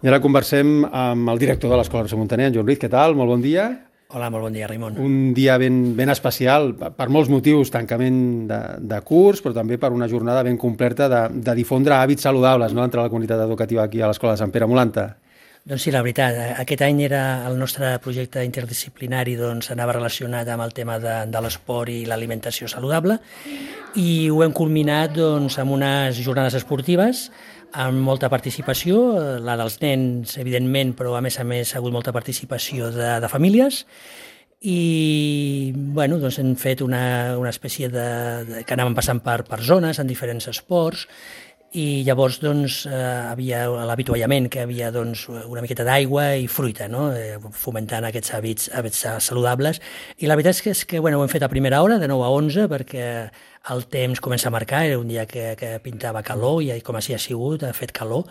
I ara conversem amb el director de l'Escola Roser Muntaner, en Joan Ruiz. Què tal? Molt bon dia. Hola, molt bon dia, Raimon. Un dia ben especial, per molts motius, tancament de curs, però també per una jornada ben completa de difondre hàbits saludables, no?, entre la comunitat educativa aquí a l'Escola de Sant Pere Molanta. Doncs sí, la veritat, aquest any era el nostre projecte interdisciplinari, doncs anava relacionat amb el tema de l'esport i l'alimentació saludable, i ho hem culminat doncs amb unes jornades esportives amb molta participació, la dels nens, evidentment, però a més ha hagut molta participació de famílies, i bueno, doncs hem fet una espècie que anàvem passant per zones en diferents esports, i llavors doncs, havia l'avituallament, que havia doncs, una miqueta d'aigua i fruita, no? Fomentant aquests hàbits saludables. I la veritat és que bueno, ho hem fet a primera hora, de 9 a 11, perquè el temps comença a marcar, era un dia que pintava calor, i com així ha sigut, ha fet calor,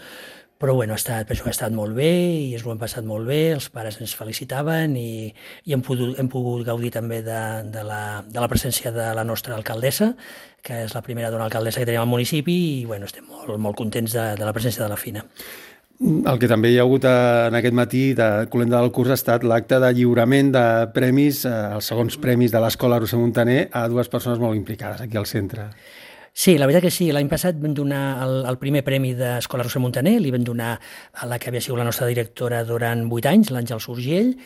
però bueno, penso que ha estat molt bé i ens ho hem passat molt bé, els pares ens felicitaven i hem pogut gaudir també de la presència de la nostra alcaldessa, que és la primera dona alcaldessa que tenim al municipi, i bueno, estem molt contents de la presència de la Fina. El que també hi ha hagut en aquest matí de Colenda del curs ha estat l'acte de lliurament de premis, els segons premis de l'Escola Roser Muntaner, a dues persones molt implicades aquí al centre. Sí, la veritat que sí. L'any passat vam donar el primer premi d'Escola Roser Muntaner, li vam donar a la que havia sigut la nostra directora durant 8 anys, l'Àngels Urgell,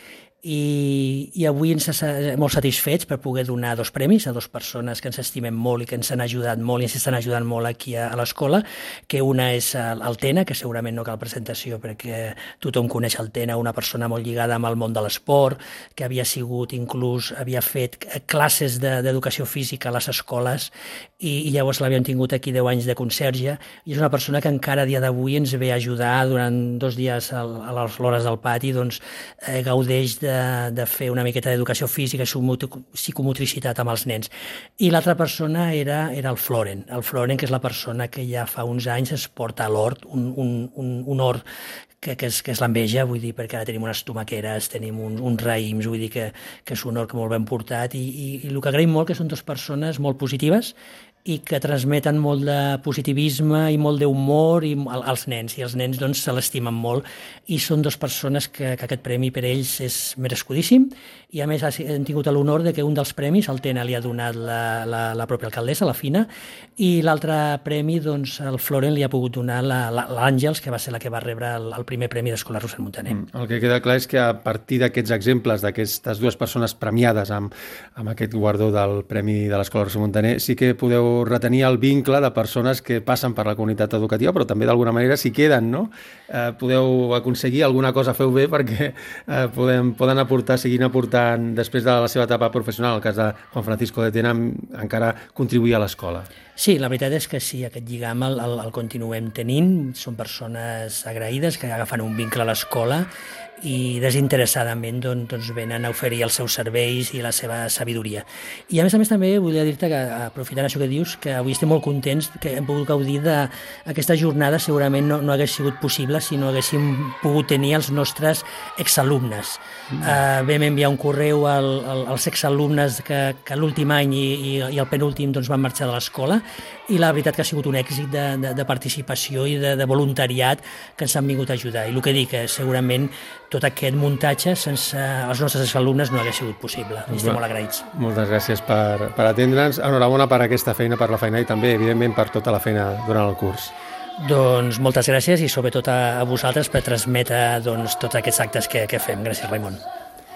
i avui ens estem molt satisfets per poder donar 2 premis a 2 persones que ens estimem molt i que ens han ajudat molt i ens estan ajudant molt aquí a l'escola, que una és el Tena, que segurament no cal presentació perquè tothom coneix el Tena, una persona molt lligada amb el món de l'esport, que havia fet classes d'educació física a les escoles, i llavors l'havíem tingut aquí 10 anys de conserge, i és una persona que encara a dia d'avui ens ve a ajudar durant 2 dies a les hores del pati, doncs gaudeix de fer una miqueta d'educació física i psicomotricitat amb els nens. I l'altra persona era el Floren, que és la persona que ja fa uns anys es porta a l'hort, un hort que és l'enveja, vull dir, perquè ara tenim unes tomaqueres, tenim uns raïms, vull dir que és un hort molt ben portat, i el que agraïm molt que són 2 persones molt positives i que transmeten molt de positivisme i molt d'humor als nens, i els nens doncs se l'estimen molt, i són 2 persones que aquest premi per ells és merescudíssim, i a més hem tingut l'honor de que un dels premis el Tena li ha donat la pròpia alcaldessa, la Fina, i l'altre premi doncs el Floren li ha pogut donar l'Àngels, que va ser la que va rebre el primer premi d'Escola Roser Muntaner. El que queda clar és que a partir d'aquests exemples, d'aquestes 2 persones premiades amb aquest guardó del Premi de l'Escola Roser Muntaner, sí que podeu retenir el vincle de persones que passen per la comunitat educativa, però també d'alguna manera s'hi queden, no? Podeu aconseguir alguna cosa, feu bé, perquè poden aportar, seguint aportant després de la seva etapa professional, el cas de Juan Francisco de Tena, encara contribuir a l'escola. Sí, la veritat és que sí, aquest lligam el continuem tenint, són persones agraïdes que agafen un vincle a l'escola i desinteressadament doncs venen a oferir els seus serveis i la seva sabidoria. I a més també volia dir-te que, aprofitant això que dius, que avui estem molt contents que hem pogut gaudir d'aquesta jornada. Segurament no hagués sigut possible si no haguéssim pogut tenir els nostres exalumnes. Vam enviar un correu als exalumnes que l'últim any i el penúltim doncs van marxar de l'escola, i la veritat que ha sigut un èxit de participació i de voluntariat que ens han vingut a ajudar. I el que dic, segurament tot aquest muntatge sense els nostres alumnes no hagués sigut possible. Estem molt agraïts. Moltes gràcies per atendre'ns. Enhorabona per aquesta feina, per la feina, i també, evidentment, per tota la feina durant el curs. Doncs moltes gràcies, i sobretot a vosaltres per transmetre tots aquests actes que fem. Gràcies, Raimon.